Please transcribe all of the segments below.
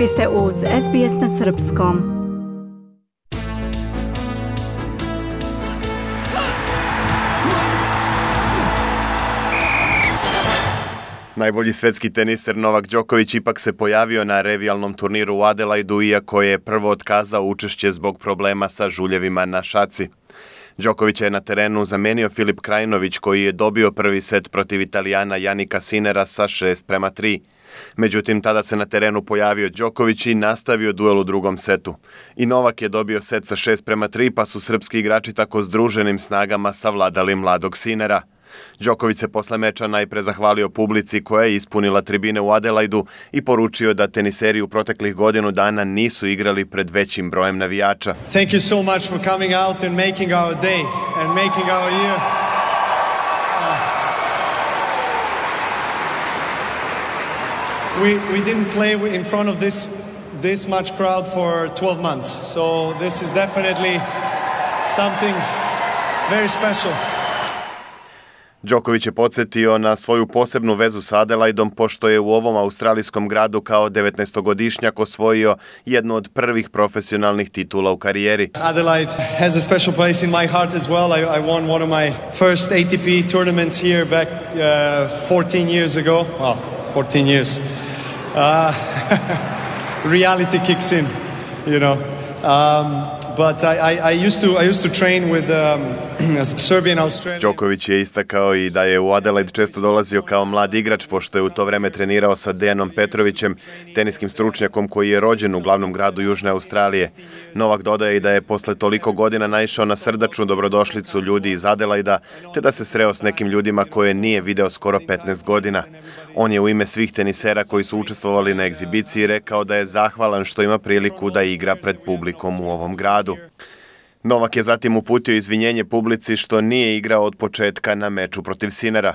Vi ste uz SBS na Srpskom. Najbolji svetski teniser Novak Đoković ipak se pojavio na revijalnom turniru u Adelaidu, iako je prvo otkazao učešće zbog problema sa žuljevima na šaci. Đokovića je na terenu zamenio Filip Krajinović, koji je dobio prvi set protiv Italijana Jannika Sinnera sa 6:3. Međutim, tada se na terenu pojavio Đoković i nastavio duel u drugom setu. I Novak je dobio set sa 6:3, pa su srpski igrači tako združenim snagama savladali mladog Sinnera. Đoković se posle meča najpre zahvalio publici koja je ispunila tribine u Adelaidu i poručio da teniseri u proteklih godinu dana nisu igrali pred većim brojem navijača. Thank you so much for coming out and making our day and making our year. We didn't play in front of this much crowd for 12 months. So this is definitely something very special. Đoković je podsjetio na svoju posebnu vezu sa Adelaidom, pošto je u ovom australijskom gradu kao 19-godišnjak osvojio jednu od prvih profesionalnih titula u karijeri. Adelaide has a special place in my heart as well. I won one of my first ATP tournaments here back 14 years ago. Well, 14 years. Reality kicks in, you know. But I used to train with Serbian Australian. Đoković je istakao i da je u Adelaide često dolazio kao mlad igrač, pošto je u to vreme trenirao sa Dejanom Petrovićem, teniskim stručnjakom koji je rođen u glavnom gradu Južne Australije. Novak dodaje i da je posle toliko godina naišao na srdačnu dobrodošlicu ljudi iz Adelaida, te da se sreo s nekim ljudima koje nije video skoro 15 godina. On je u ime svih tenisera koji su učestvovali na egzibiciji rekao da je zahvalan što ima priliku da igra pred publikom u ovom gradu. Novak je zatim uputio izvinjenje publici što nije igrao od početka na meču protiv Sinnera.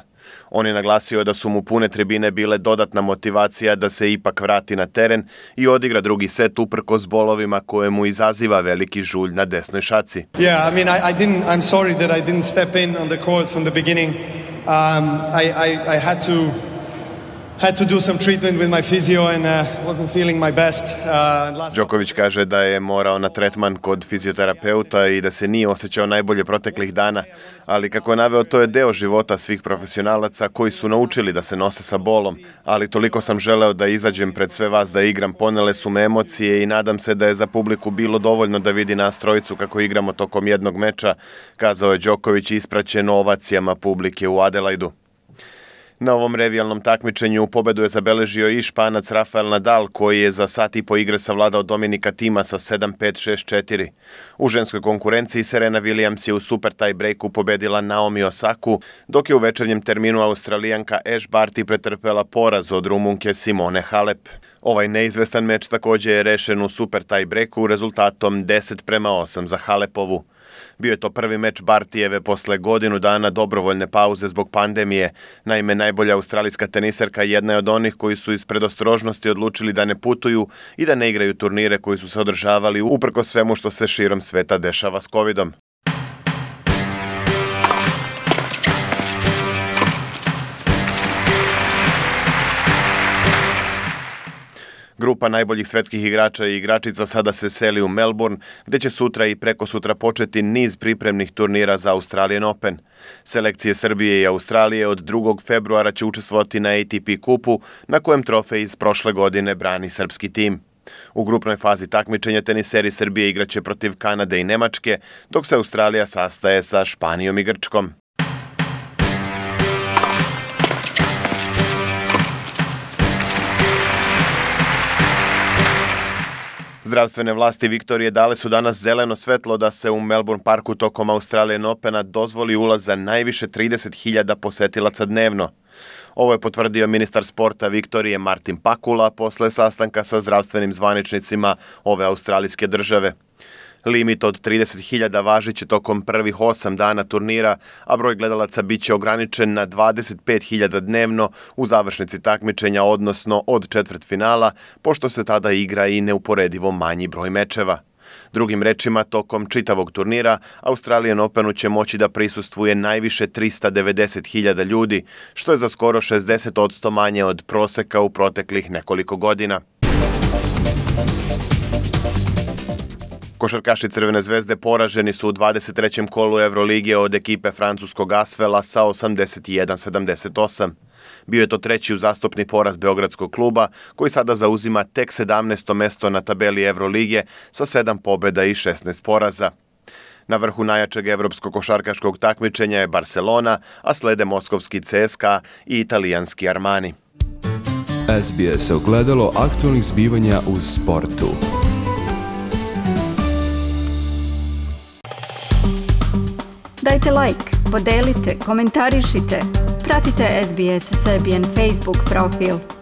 On je naglasio da su mu pune tribine bile dodatna motivacija da se ipak vrati na teren i odigra drugi set uprkos bolovima koje mu izaziva veliki žulj na desnoj šaci. Yeah, I mean, I'm sorry that I didn't step in on the court from the beginning. I had to do some treatment with my physio and wasn't feeling my best. Đoković kaže da je morao na tretman kod fizioterapeuta i da se nije osjećao najbolje proteklih dana, ali kako je naveo, to je deo života svih profesionalaca koji su naučili da se nose sa bolom, ali toliko sam želeo da izađem pred sve vas da igram, ponele su me emocije i nadam se da je za publiku bilo dovoljno da vidi nas trojicu kako igramo tokom jednog meča, kazao je Đoković ispraćen ovacijama publike u Adelaidu. Na ovom revijalnom takmičenju pobedu je zabeležio i Španac Rafael Nadal, koji je za sat i po igre savladao Dominika Thima sa 7-5, 6-4. U ženskoj konkurenciji Serena Williams je u super tie breaku pobedila Naomi Osaku, dok je u večernjem terminu Australijanka Ash Barty pretrpela poraz od Rumunke Simone Halep. Ovaj neizvestan meč također je rešen u super tie breaku rezultatom 10:8 za Halepovu. Bio je to prvi meč Bartijeve posle godinu dana dobrovoljne pauze zbog pandemije. Naime, najbolja australijska teniserka jedna je od onih koji su iz predostrožnosti odlučili da ne putuju i da ne igraju turnire koji su se održavali uprkos svemu što se širom sveta dešava s covidom. Grupa najboljih svetskih igrača i igračica sada se seli u Melbourne, gde će sutra i prekosutra početi niz pripremnih turnira za Australian Open. Selekcije Srbije i Australije od 2. februara će učestvovati na ATP kupu, na kojem trofej iz prošle godine brani srpski tim. U grupnoj fazi takmičenja teniseri Srbije igraće protiv Kanade i Nemačke, dok se Australija sastaje sa Španijom i Grčkom. Zdravstvene vlasti Viktorije dale su danas zeleno svetlo da se u Melbourne Parku tokom Australian Opena dozvoli ulaz za najviše 30.000 posetilaca dnevno. Ovo je potvrdio ministar sporta Viktorije Martin Pakula posle sastanka sa zdravstvenim zvaničnicima ove australijske države. Limit od 30.000 važit će tokom prvih 8 dana turnira, a broj gledalaca bit će ograničen na 25.000 dnevno u završnici takmičenja, odnosno od četvrtfinala, pošto se tada igra i neuporedivo manji broj mečeva. Drugim rečima, tokom čitavog turnira, Australian Openu će moći da prisustvuje najviše 390.000 ljudi, što je za skoro 60% manje od proseka u proteklih nekoliko godina. Košarkaši Crvene zvezde poraženi su u 23. kolu Evrolige od ekipe francuskog Asvela sa 81-78. Bio je to treći uzastopni poraz beogradskog kluba, koji sada zauzima tek 17. mesto na tabeli Evrolige sa 7 pobjeda i 16 poraza. Na vrhu najjačeg evropskog košarkaškog takmičenja je Barcelona, a slede moskovski CSKA i italijanski Armani. SBS ogledalo aktualnih zbivanja u sportu. Dajte like, podelite, komentarišite. Pratite SBS Serbian Facebook profil.